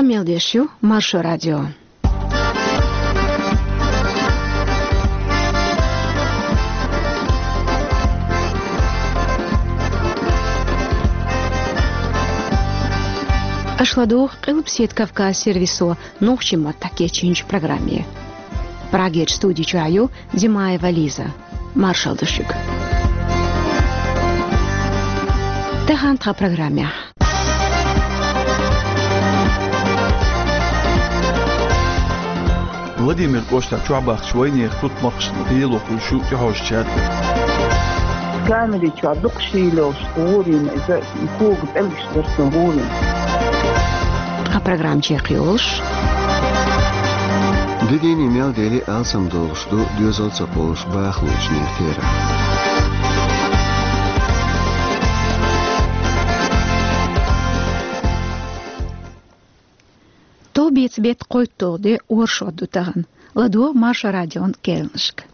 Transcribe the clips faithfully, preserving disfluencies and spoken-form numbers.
Мел деш ю Маршо радио. Аша ладугӀу Къилбаседа Кавказ сервисо нохчийн маттахь кечйинчу программе. Прагерчу студи чохь ю Димаева Лиза. Маршалла ду шуьга. Тахана тхан программехь. Владимир кӀоштахь чохь бахча вайнехан тутмакхашна лело хуьлуш ю тӀехьожучаьрга. Камери чохь дукха шийла йолуш гӀур йина иза, и кога пӀелгаш дара цуьнан гӀур йина. Тхан программа чекхйолуш. Де дийне мел дели алсам долуш ду доьзал ца кхоллуш бахалочу нехан терахь. Товбеца беттан кхойтталгӀа де оршот ду тахана. ЛадогӀа Маршо радион керланашка.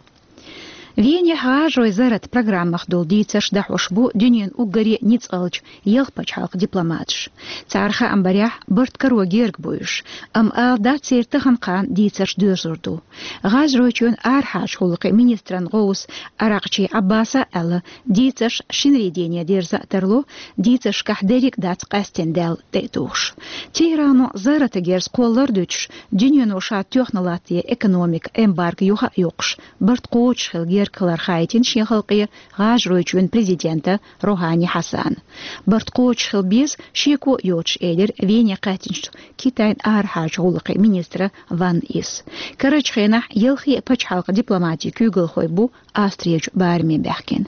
Венехь гӀажаройн зарратан программах долу дийцарш дӀахьош бу дуьненан уггаре ницкъаллачу ялх пачхьалкхан дипломаташ. Цара хаам барехь, барт каро герга бу уьш, амма ала дац церан тахана кхана дийцарш доьрзур ду. ГӀажаройчоьнан арахьарчу гӀуллакхийн министран гӀовс Аракъчи Ӏаббаса а аьлла, дийцарш шинарин дене дерза а тарло, дийцаршкахь дерриг а дац къаьстина даьлла тӀе а тухуш. Тегерано зарратан герз кхоллар а дуьтуш, дуьнено ша тоьхна латтаде экономикан эмбарго юха а йоккхуш, барт кхочуш хила герга хилар хаийтина шен халкъе ГӀажаройчоьнан президента Рохани Хьасана. Барт кхочуш хила беза, шеко а йоцуш, элира Вене кхаьчначу Китайн арахьарчу гӀуллакхийн министра Ван Йис. Карарчу хенахь ялхе а пачхьалкхан дипломатин куьйгалхой бу Австрерчу бараме баьхкина.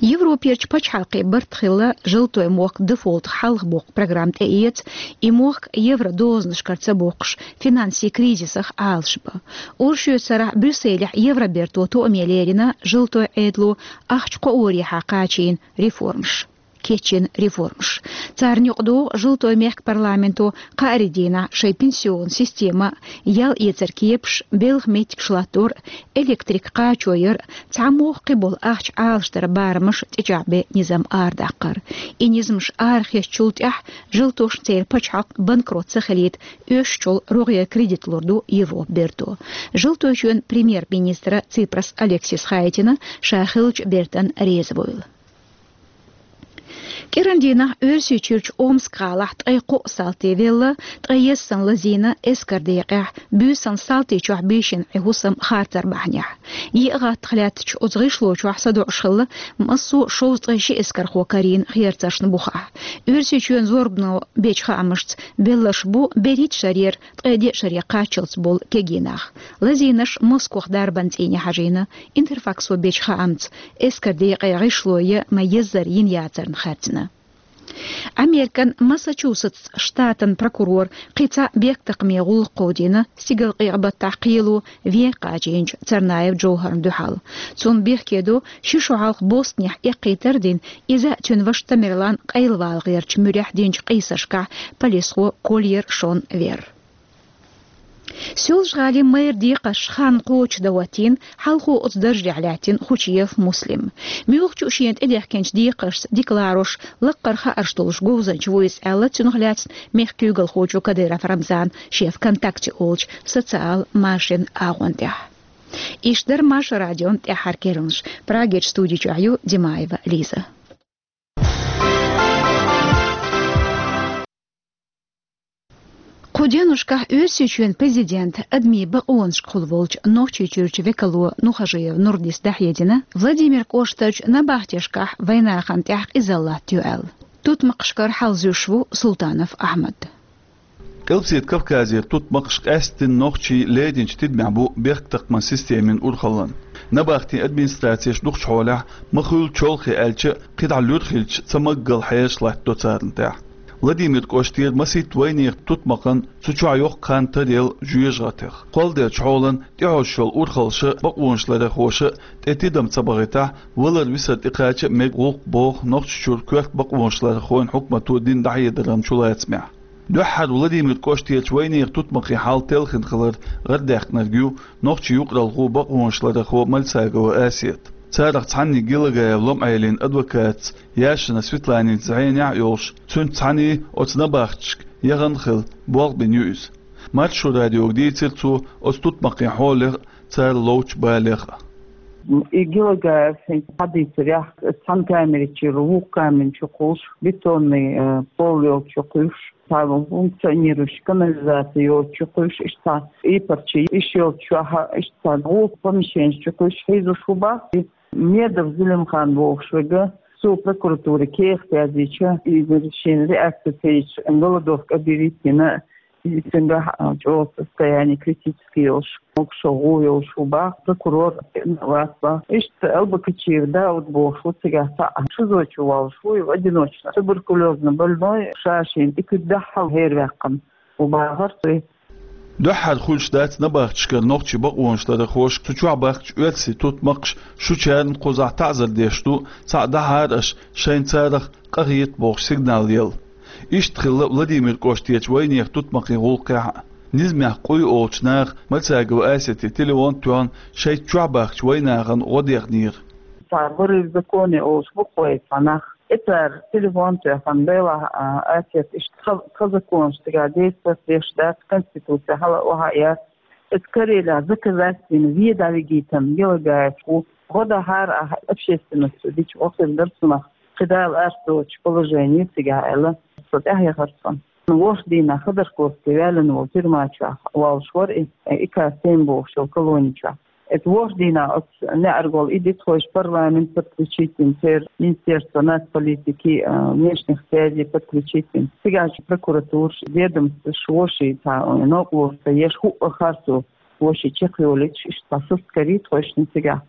Европерчу пачхьалкхийн барт хилла, Желтойн мохк дефолтах хьалхабоккху программа тӀеэца, и мохк евро дозанашкара ца боккхуш, финансийн кризисах Ӏалашбан. Оршотан сарахь Брюсселехь Евроберто тоаме лерина Желтойн Ӏедало ахча кхоорехьа кхачийна реформаш. Кечйина реформаш. Царна юкъадогӀу Желтойн мехкан парламенто кхаарин дийнахь шайн пенсионни система, ял эцаран кепаш, белхан меттигаш латтор, электрик кхачо яр, цхьамогӀа кхиболу ахча Ӏалашдаран барамаш тӀечӀагӀбен низам арадаккхар. И низамаш арахецначул тӀаьхьа Желтошна церан пачхьалкх банкрот ца хилийта оьшучул рогӀера кредит лур ду Европан берто. Желтойчоьнан премьер-министра Ципрас Алексиса хаийтина, ша хиллачу бертан реза вуйла. КӀиран дийнахь Оьрсийчуьрчу Омск гӀалахь ткъе кхоъ салти велла, ткъе ялсаманин лазийна эскаран декъехь, буьйсанна салти чохь бийшина Ӏи хӀусам харцар бахьанехь. Йиъ гӀаттах лаьттачу оцу гӀишло чохь садоӀуш хилла массо а шовзткъе ши эскархо карийна херцаршна бухахь. Оьрсийчоьнан зорбано бечу хаамашца, белларш бу берхӀитта шарера ткъе деа шаре кхаччалц болу кегий нах. Лазийнарш Москох дарбан цӀийне хьажийна. Интерфаксо бечу хаамца, эскаран декъе гӀишло ян ма еззара йина яцарна хаьрцина. Американ Массачусетс штатан прокурора кхин цхьа бехктакхаме гӀуллакх кховдийна стигалкъекъа баттахь кхело вен кхачийначу Царнаев Джовхарна дуьхьал. Цунна бехке до ши шо хьалха Бостонехь эккхийтар а дина, иза а, цуьнан ваша Тамерлан къайлавала гӀертачу муьрехь динчу къийсашкахь полисхо Кольер Шон вер. Соьлжа-ГӀалин мэран декхарш хан кхочушдан хӀоттийна хьалхо оцу даржехь лаьттина Хучиев Муслим. Муьлххачу а шена тӀедехкинчу декхаршца дика ларош, лаккхара хаарш долуш говзанча ву иза аьлла, цунах лаьцна мехкан куьйгалхочо Кадыров Рамзана шен ВКонтакте олучу социал машенан агӀон тӀехь. Иштта дара Маршо радион тӀаьххьара керланаш. Прагерчу студи чохь ю Димаева Лиза. Кху деношкахь Оьрсийчоьнан президентан адамийн бакъонашкахула волчу Нохчийчуьрчу векало Нухажиев Нурдис дӀахьедина Владимир кӀоштарчу набахтешкахь вайнахана тӀехь къизаллатта ю аьлла. Тутмакхашкара хьал зуьйш ву Султанов Ахьмад. Къилбаседа Кавказера тутмакхаш къаьсттина нохчийн леринчу тидамехь бу бехктакхаман системин урхаллан. Набахтийн администрацеш дукхачу хьолехь, ма хуьллу чолхе аьлча, кхидӀа луьра хилча, ца маггал хьераш латтадо царна тӀехь. Владимир кӀоштера масийтта вайнехан тутмакхан цу чохь йоккха хан тара елла жоьжахатех. Кхолладелчу хьолан тӀехьожуш йолу урхаллаша а, бакъонашларъярхоша а тӀе тидам ца бахийтахь, валар-висар тӀекхача а мега гӀуллакх, боху Нохчийчуьра коьрта бакъонашларъярхойн хьукмато дина дӀахьедаран чулацамехь. Дуьххьара Владимир кӀоштерчу вайнехан тутмакхийн хьал телхина хилар гӀардаьккхинарг ю нохчийн юкъаралхо, бакъонашларъярхо Мальсагова Асет. Царах цхьаннег Гелагаев Лом-Ӏелин адвокатца Яшина Светланица зӀенехь а йолуш, цуьнца цхьаьна оцу набахташка яхана хила болх бина ю иза. Маршо радиога дийцира цо оцу тутмакхийн хьолех а, цара ловчу балех а. И Гелагаев хӀинца хьадийцарехь, цхьана камерачуьра вукху камеран чу кхуьйсуш, бетонный, э, пол йолчу кхуьйсуш, цхьа функционирующая канализация йоцучу кхуьйсуш, иштта цхьа ийпарчий йиш йолчу чохь, иштта цхьа гӀуллакх помещенаш чу кхуьйсуш хьийзош ву боху. И Медов Зелимхан бохуш верг, цо прокуратуре кехат яздича, иза шена реакция ца йича, голодовка объявить йина, и цуьнгахь, а, чӀогӀа состояние критическое йолуш, могушалла гӀо йолуш ву боху, прокурор вац боху. Иштта Албакачиев Дауд бохуш ву цигахь цхьаъ, ШИЗО чу волуш ву, и одиночный туберкулёзный больной, ша шена тӀе куьг дахьал хӀерваьккхина ву бахара цо. Дуьххьара хуьлуш дац набахтешкара нохчийн бакъонашларъярхоша цу чохь баьхкачу оьрсийн тутмакхаша шучарна кхузахь таӀзар деш ду, цхьаъ дахьара аша, шайна царах къахета бохуш сигнал елла. Иштта хилла Владимир кӀоштарчу вайнехан тутмакхийн гӀуллакхехь а. Низамехь къуй олучу наха Мальсагова Асетин телефон а тоьхна, шайца чохь баьхкачу вайнахана гӀо дехнера. Цхьа вырыв в законе олуш бу-кх вай цхьа нах. И цара телефон тоьхна, делахь, а, Асет, иштта тхан, тхан законаш цигахь действовать деш дац, Конституци хьала а охьа а яц. Иза Карелехь заказать йина вен дӀавигийтина Гелагаев ву. ГӀо дахьара ахь, общественносто дича гӀо хир дара цунах. КхидӀа ала ас доцучу положение цигахь аьлла, со тӀаьхьаяхара цунна. ВорхӀ дийнахь Ходорковский ваьллина волу тюрьма чохь волуш вара и, и К семь бохучу колони чохь. Иза ворхӀ дийнахь оцу неӀарга волу и дитхойша парламент подключить йина, церан Министерство нацполитики, а, внешних связей подключить йина. Цигахь прокуратураш, ведомстваш вовшийн цхьа новкъарло ца еш, хӀуъа харцо вовшийн чекхйолуьйтуш, иштта цхьа суст карий тхойшинна цигахь.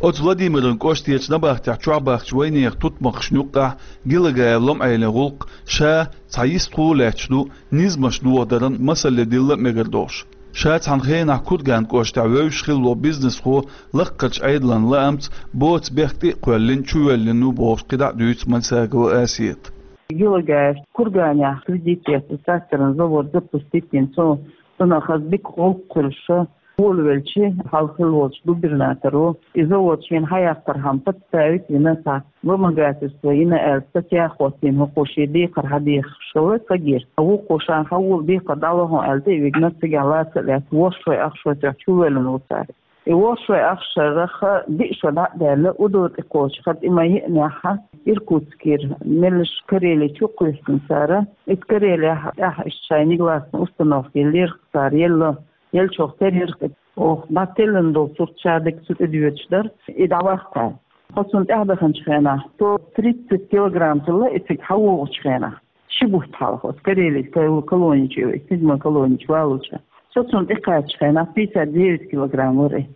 Оцу Владимиран кӀоштарчу набахтехь чохь баьхкачу вайнехан тутмакхашна юккъехь Гелагаев Лом-Ӏелин гӀуллакх ша цхьа йистхула лаьтташ ду, низамаш дохадаран масалле дилла а мегар долуш. Ша цхьана хенахь Курган кӀоштахь вевзаш хилла волу бизнесхо лаккхарчу Ӏедалан лаамца боцу бехк тӀе а кхоьллина, чувоьллина ву бохуш кхидӀа а дуьйцу Мальсагова Асета. Гелагаев Курганехь кредит эцна тракторный завод запустить йина, цо, цунах хаза дика гӀуллакх хуьлуш, волавелча, хьалха хилла волчу губернаторо и завод шена хьаяккхархьама подставить йина, цхьа вымогательство йина аьлла, статья хӀоттийна хӀокхо шен декхар хьадехаш хилла цигара. Вукхо ша хьан волу декхар дӀало хьуна аьлла, тӀе а вигна, цигахь лаца а лаьцна, ворхӀ шой ах шой тоьхна чувоьллина ву цара. И ворхӀ шой ах шарах диъ шо дӀа а даьлла, удо тӀе кхочуш, хӀара тӀе-м йиънехь, Иркутскера, меллаша Карели чу кхуьйсина цара. Иза Карелехь тӀехь иштта шайн негласный установка еллера цара, елла, еллачух терра, оха дӀателлина долу сурт ша дерг цу тӀе доьдуш дара, и дӀаваккха. Тхо цунна тӀаьхьа даханчу хенахь, сто тридцать килограмм хилла и цига хьан вогӀучу хенахь. Ши бутт хьалха оцу Карелин ка-, колони чу, седьмой колони чу валлалц. Со цунна тӀекхаччу хенахь пятьдесят девять килограмм вара и.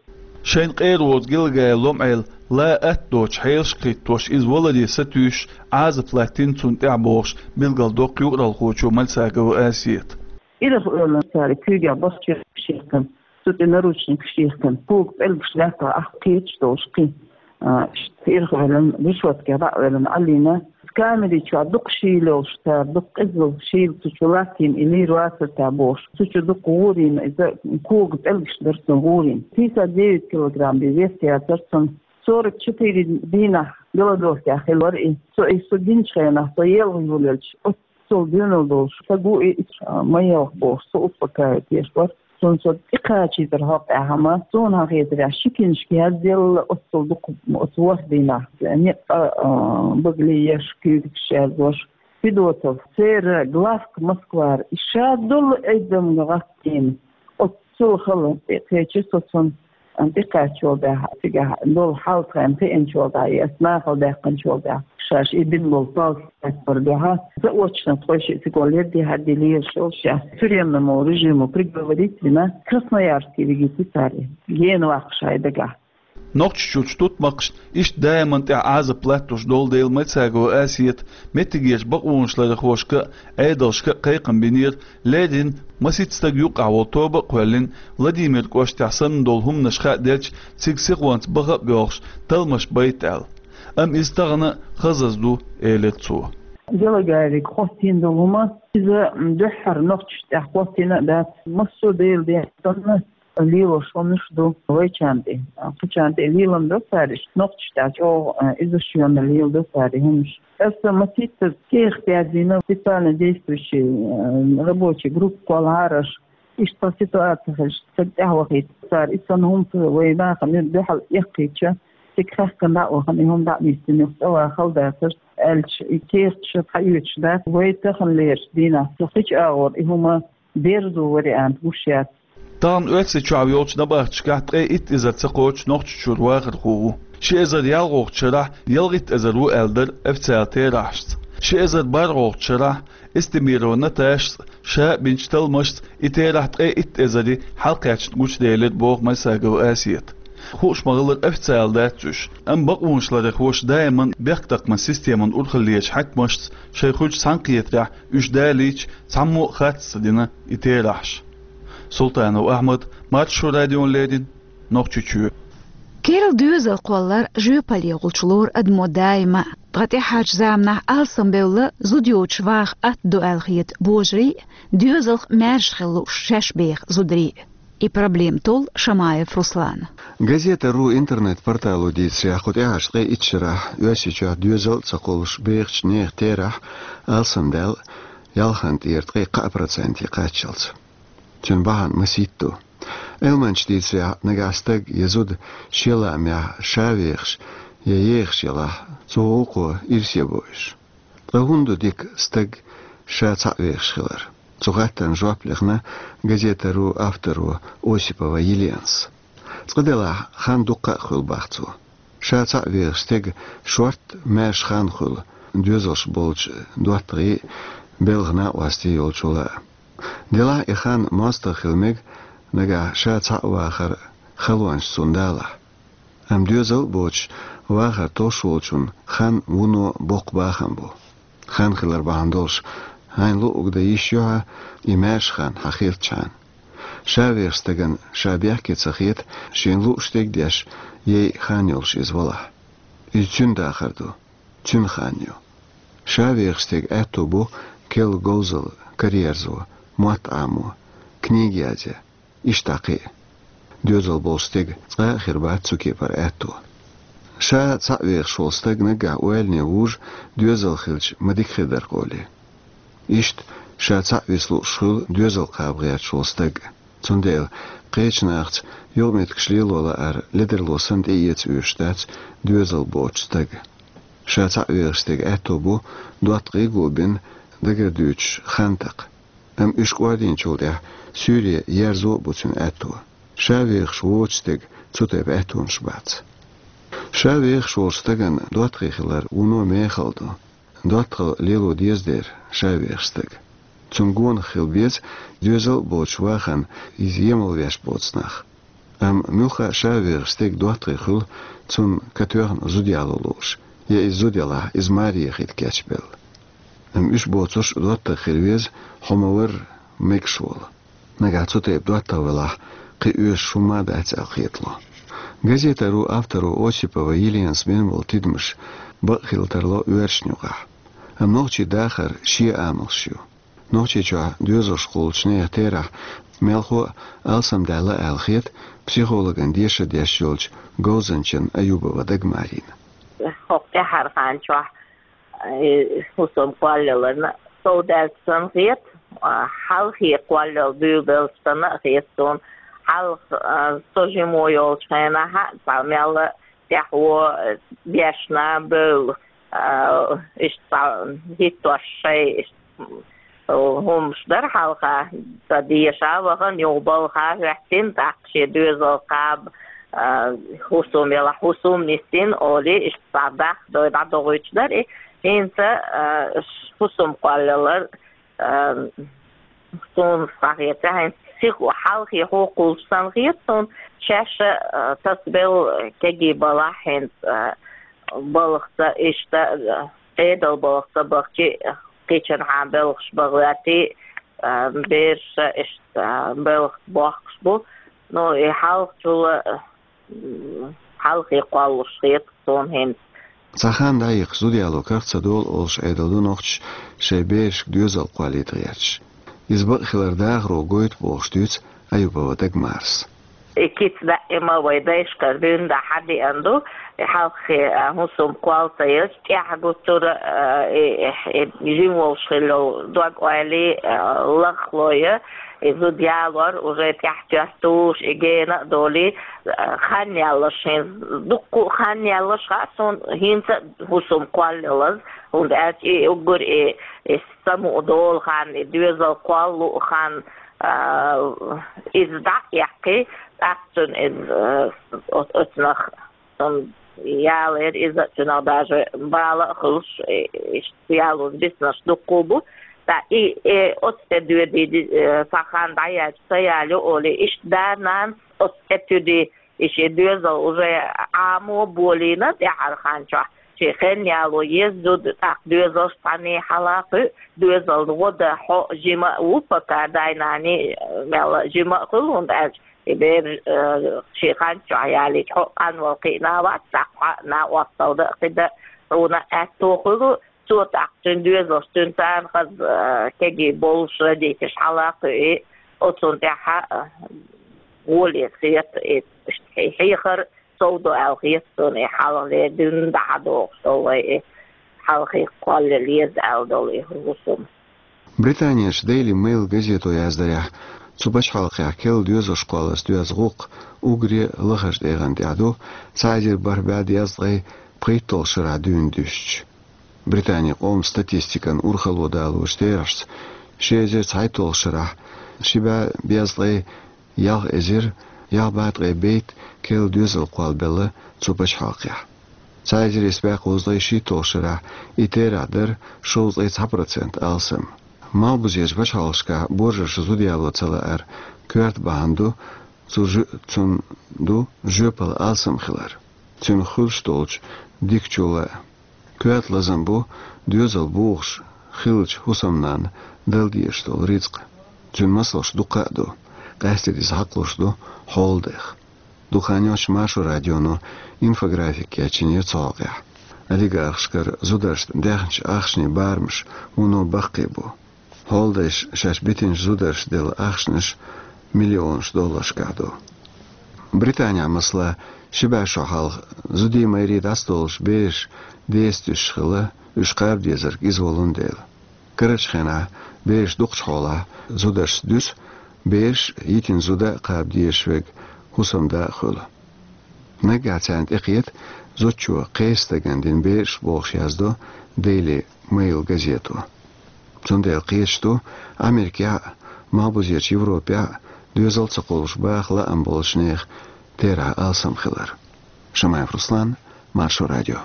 Шайна къера воцу Гелагаев Лом-Ӏела ла атта доцу хьелаш кхиттош, иза валаре сатуьйсуш, Ӏазап латтийна цунна тӀехь бохуш, билгалдоккху юкъаралхочо Мальсагова Асета. Ирах оьллина цара куьйгахь бахча шехкан, цу тӀе наручник шехкан, кога пӀелгаш лаьттах ахь кхеташ долуш кхин. А, иштта ирах оьллина, решёткех дӀа а оьллина, Ӏалина. Камери чохь дукха шийла йолуш цара, дукха къизалла шийла цу чу латтийна, и лийр вацара цара бохуш. Цу чу дукха гӀурийна, иза кога пӀелгаш дара цунна гӀурийна. Пятьдесят девять килограмм бен вес яцара цунна. Сорок четыре дийнахь голодовкехь хилла вара и. Со и со гиначу хенахь, со елха йолаелча, оццул доьналла долуш, сан гу и, а, ма елха бохуш, со успокаивать деш вара. Цунна со тӀекхачийтар хьокъехь-м, суна хетарехь, ши кинашка язделла оццул дукха, оцу ворхӀ дийнахь. Некъа, а, багали еш, куьйгаш яздеш. Федотов, церан главка Москвара, и ша долу эдамга гӀаттийна. Оццул хала тӀе кхечира со цунна, тӀекхаьчча волу дӀа, цигахь долу хьал тхайна хиъначу волу дӀа, и ас нахала даьккхинчу волу дӀа. Шаьш и бина болу палц лаьцна дуьхьа, заочно тхойшиъ цига лердехьа дилийра шел шаьш. Тюремному режиму приговорить вина, Красноярске вигийти цара. Гена ваккха шайн дагахь. Нохчийчуьрчу тутмакхашна иштта даиман тӀехь Ӏазап латтош долу дела Мальсагова Асета меттигерчу бакъонашларъярхошка а, Ӏедалшка а кхайкхам бинера, леррина маситта стаг юккъахь волу тоба а кхоьллина, Владимир кӀоштахь санна долу хӀуманаш хаа делча, цига сихонца баха а боьлхуш, талламаш байта аьлла. Амма иза тахана а хазаза ду, элира цо. Гелагаевга хӀоттийна долу хӀума, иза дуьххьара нохчашна тӀехь хӀоттийна а дац, массо а Делан ден санна, лелош хӀуманаш ду вайчарна тӀе. Кхычарна тӀе лелам ду цара, иштта нохчашта чӀоагӀа, а, иза шоана леладу цара и хӀуманаш. Аса масийтта кехат язйина специально действующий, а, рабочий группа кхоллараш. Иштта ситуаци хилча, цига тӀехьавахийта цара. И санна хӀума вай нахана дуьхьал эккхийча, цига хаьхкина дӀа а вахана, и хӀума дӀа а нийсдина, юха цӀа ваха хала дацар, аьлча, и кехаташ схьаоьцуш дац. Вай таханлерча дийнахьа цу кхыча агӀор и хӀума дерзо вариант гуш яц. Тахана Оьрсийчохь йолчу набахташкахь ткъе итт эзар ца кхочуш Нохчийчуьра вахархо ву. Ши эзар ялхолгӀачу шарахь ялхитта эзар ву аьлла дара официалан терахьашца. Ши эзар бархӀолгӀачу шарахь Эстемирова Наташас ша а бинчу талламашца и терахь ткъе итт эзаре хьалакхаьчна гучуделира, боху Майсагова Асета. Хууш ма-хиллара, официал дац уьш, амма бакъонаш ларъярхоша даиман бехктакхаман системан урхаллерчу хьаькамашца шайн хуьлучу цхьаьнакхетарехь уьш далийча, цхьаммо а хатта ца дина и терахьаш. Султанов Ахьмад, Маршо радиона леррина, Нохчийчоь. Керла доьзал кхоллар жоьпаллехула лору адамо даима. Ткъа тӀаьхьарчу заманахь алсамбевлла зуда йоцуш ваха атта ду аьлла хета божарий а, доьзалх маьрша хила лууш шаьш беха зударий а. И проблема толлу Шамаев Руслана. Газета ру интернет-портало дийцарехь, кху тӀаьхьарчу ткъе итт шарахь Оьрсийчохь доьзал а ца кхуллуш бехачу нехан терахь алсамдаьлла ялханна тӀера ткъе кхаа проценте кхаччалц. Цуьнан бахьана масийтта ду. Ӏилманчаша дийцарехь, нагахь стаг я зуда шен лаамехь ша вехаш я ехаш ялахь, цу гӀуллакхо ирсе бо уьш. Ткъа хӀунда ду дика стаг ша цхьаъ вехаш хилар? Цу хаттарна жоп лехна газета ру авторо Осипова Еленас. Цкъа-делахь, хан дуккха а хуьлу, бах цо. Ша цхьаъ вехаш стеган шортта маьрша хан хуьлу, доьзалш болчу доттагӀий а, белхан накъостий а йолчул а. Делахь и хан мостагӀа хила мега, нагахь ша цхьаъ вахар халонаш цунна далахь. Амма доьзал а боцуш, вахар тосуш волчун хан вуно боккха бахам бу. Хан хилар бахьана долуш, хьайна луъург дан йиш ю хьан и маьрша хан, хьан хетачхьана. Ша вехаш стагана ша бехке ца хета, шена лууш стаг деш, яй хан йолуш иза валахь. Иза цуьнан дахар ду, цуьнан хан ю. Ша вехаш стеган аьтто бу керла говзалла, караерзо, мотт Ӏамо, книга язъян, иштта кхин а. Доьзал болчу стеган цкъа а хир бац цу кепара аьтто. Ша цхьаъ вехаш волу стаг наггахь ойлане вужу, доьзал хилча ма дика хир дара-кх олий. Иштта, ша цхьаъ виса лууш хуьлу доьзал кхаба гӀерташ волу стаг. Цундела кхечу нахаца юкъаметтигаш лело лаар ледарло санна тӀеэца оьшуш дац доьзал боцучу стага. Ша цхьаъ вехаш стеган аьтто бу доттагӀий а гобина, дагардуьйцуш хан такха. Амма уьш кӀордийначул тӀаьхьа суьйре ерзо а бу цуьнан аьтто. Ша вехаш воцучу стеган цу тайпа аьттонаш бац. Ша вехаш волчу стагана доттагӀий хилар вуно мехала ду. ДоттагӀалла лело деза дера ша вехаш стага. Цунна гонах хила беза доьзал а боцуш вахана иза емал веш боцу нах. Амма муьлхха а ша вехаш стеган доттагӀий хуьлу, цунна катоьхна зуда яло лууш, я иза зуда ялахь, иза маре яхийта кечбелла. Амма уьш боцурш доттагӀа хила веза, хьо ма-варра, мегаш волу. Нагахь цу тайпа доттагӀа велахь, кхин оьшуш хӀумма а дац аьлла хетало. Газета ру авторо Осипова Еленас бина болу тидамаш бакъ хила тарло оьрсашна юкъахь. Амма нохчийн дахар шен амалш ю. Нохчийчохь доьзалш кхуллучу нехан терахь мелхо а алсамдаьлла аьлла хета психологан дешар деш йолчу говзанчан Аюбова Дагмарина. ХӀокху тӀаьххьара хан чохь, э, хӀусам кхоллаяларна сов даьлча санна хета, а, хьалхе кхоллал буьйлабелча санна а хета суна. Хьалха, а, со жимо йолчу хенахь а цхьа мелла тӀаьхьо, э, бешна бевлла, а, иштта цхьа хӀиттош шай, иштта, м, хӀумаш дара хьалха, ца деша а вахана, юха балха а хӀоьттина, тӀаккха шен доьзал кхаба, а, хӀусам ялахь, хӀусам нисдина, олий, иштта цхьа дахдой дӀадохуьйтуш дара и. ХӀинца, а, ш-, хӀусам кхоллалар, а, суна схьахетарехь, хӀинца сих хьалхе хьо кхуллуш санна хета суна, шаьш а, а, тасабелла кегий балахь хӀинца, а, балхаца иштта, а, Ӏедал балхаца бахчи, кхечанхьа белхаш бан гӀоьртий, а, бераш а иштта, а, белхаца бохкуш бу. Ну, и хьалхачул а, м, хьалхе кхоллуш хета суна хӀинца. Цхьа хан дӀайихкича зуда яло карах ца долу олуш Ӏедал ду нохчаша шайн берашка доьзал кхоллийта гӀерташ. Иза бакъ хилар дахаро гойту бохуш дуьйцу Аюбова Дагмарас. И кица даима вай дайшкара дуьйна дӀа хьадеана ду, и хьалххе, а, хӀусам кхолла ца еза, тӀехьа гуттара, а, и, и, и жима волуш хилла дог-ойла, а, лахло я, и зуда ялор уже тӀаьхьа тоьттуш, и гена а долий, а, хан яллаш хӀинца, дуккха а хан яллаш хаьа суна, хӀинца а хӀусам кхолла ялаза, хӀунда аьлча и уггар и, и самукъа долу хан, и доьзал кхолла луу хан, а, иза дӀа а эккхий, тӀаккха цуьнан иза, э, оц-, оцунах, м, ялийра иза, цуьнах даже бала а хуьлуш, э, иштта ялоза биснарш дуккха а бу. Ткъа и, э, оцу тӀе доьдий, э, цхьа хан дӀаяьлча, ца ялайо олий, иштта да-нанас оцу тӀе туьдий, и шен доьзал уже Ӏамо болийна тӀаьхьара хан чохь. Шен хенан яло еза зуда, тӀаккха доьзалш цхьаьний хьала кхуьу, доьзална гӀо дан хьо жима а ву, пока дай-наний, э, мелла а жима а хуьлу, хӀунда аьлча и бер, э, шен хан чохь ялийча хьо а къанвала кхиъна вац, тӀаккха хьо а накъосталла дан а кхин дан хьуна аьтто хуьлу, цо тӀаккха цуьнан доьзалш цуьнан царна хаза, э, кегий болуш родителаш хьала кхуьу, оцунна тӀаьхьа, э, гӀоле хета, и, иштта хье-, хьехар совдо аьлла хета суна, и хьалхале дуьйна дӀа хьадогӀуш долу вай, и хьалхе кхолла леза аьлла долу и хӀусам. Британерчу Daily Mail газето яздарехь, цу пачхьалкхехь керла доьзалш кхоллалц доьзна гӀуллакх уггаре лахарчу тӀегӀан тӀехь ду, цхьа эзар бархӀ бӀе дезткъе пхийтталгӀачу шарахь дуьйна дуьстича. Британин къоман статистикан урхалло далочу терахьашца, ши эзар цхьайтталгӀачу шарахь ши бӀе дезткъе ялх эзар ялх бӀе ткъе бейтта керла доьзал кхоллабелла цу пачхьалкхехь. Цхьа эзар исс бӀе кхузткъе шийтталгӀачу шарахь и терахь дара шовзткъе цхьа процент алсам. Малхбузерчу пачхьалкхашкахь божарша зуда яло ца лаар коьрта бахьана ду, цу жо-, цунна ду жоьпалла алсам хилар, цуьнан хуьлуш долчу дикачул а. Коьрта лазам бу доьзал бухуш хиллачу хӀусамнанна дала дезаш долу рицкъ. Цуьнан масалш дуккха а ду, къаьсттина иза хьакхалуш ду хьолада дайх. Дукха хан йоццуш Маршо радионо инфографик кечйинера цу хьокъехь. Олигархашкара зударшна даьхначу ахчанийн барамаш вуно баккхий бу. Хьоладайша шаьш битинчу зударшна делла ахчанаш миллионаш долларшкахь ду. Британехь, масала, ши бӀе шо хьалха зудий, майрий дӀасадолуш бераш деца туьсуш хилла, уьш кхаба дезарг иза волун дела. Карарчу хенахь бераш дукхачу хьолахь зударшца дуьсу, бераш йитина зуда а кхаба дезаш верг хӀусамда а хуьлу. Наггахь царна тӀекхета зудчо кхечу стагана дина бераш, бохуш яздо Daily Mail газето. Цундела кхеташ ду Америкехь а, Малхбузерчу Европехь а доьзал ца кхуллуш баха лаам болчу нехан терахь алсам хилар. Шамаев Руслан, Маршо радио.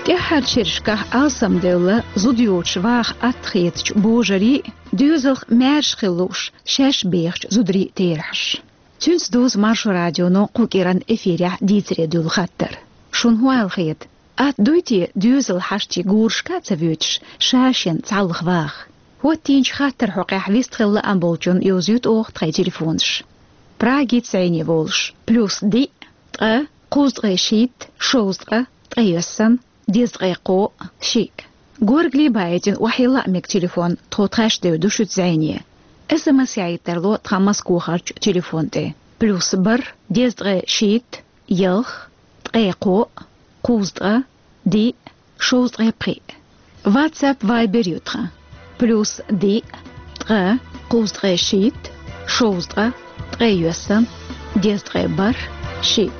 ТӀаьххьарчу шерашкахь алсамдевлла зуда йоцуш ваха атта хетачу божарийн, доьзалх маьрша хила лууш шаьш бехачу зударийн терахьаш. Цуьнца дузу Маршо радионо кху кӀиран эфирехь дийцаре дуьллу хаттар. Шуна хӀун аьлла хета? Атта дуй те доьзал хьаштий гурашка а ца воьдуш, ша-шен цхьаллах ваха? ХӀоттийначу хаттаран хьокъехь вистхила лаам болчунна йовзуьйту оха тхайн телефонаш. Прагица зӀене волуш: плюс диъ, ткъа, кхузткъе шийтта, шовзткъа, ткъе йоьссан, дезткъе кхоъ, шиъ. Горгали баийтина охьайилла а мега телефон, тхо тхаьш девр ду шуьца зӀене. СМС яийта тарло тхан Москвахарчу телефон тӀе: плюс бархӀ, дезткъе шийтта, ялх, ткъе кхоъ, кхузткъа, диъ, шовзткъе пхиъ. WhatsApp, Viber ю тхан: плюс диъ, ткъа, кхузткъе шийтта, шовзткъа, ткъе йоьссан, дезткъе бархӀ, шиъ.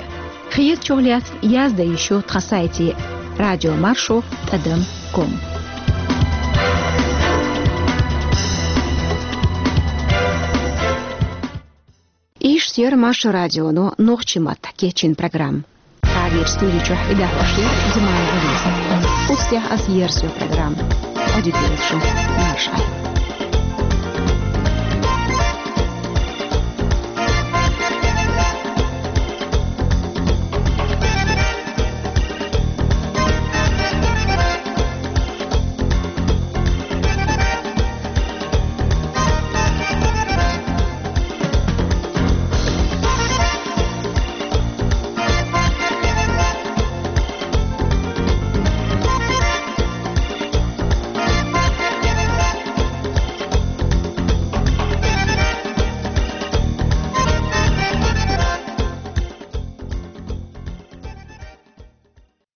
Хетачух лаьцна яздан йиш ю тхан сайте: радиомаршо тӀадам ком. Иштта яра Маршо радионо нохчийн маттахь кечйина программа. Прагерчу студи чохь и дахьош яра Зимаева Лиза. Оцу тӀехь аса ерзайо программа. Ӏадика йойла шу, марша Ӏойла.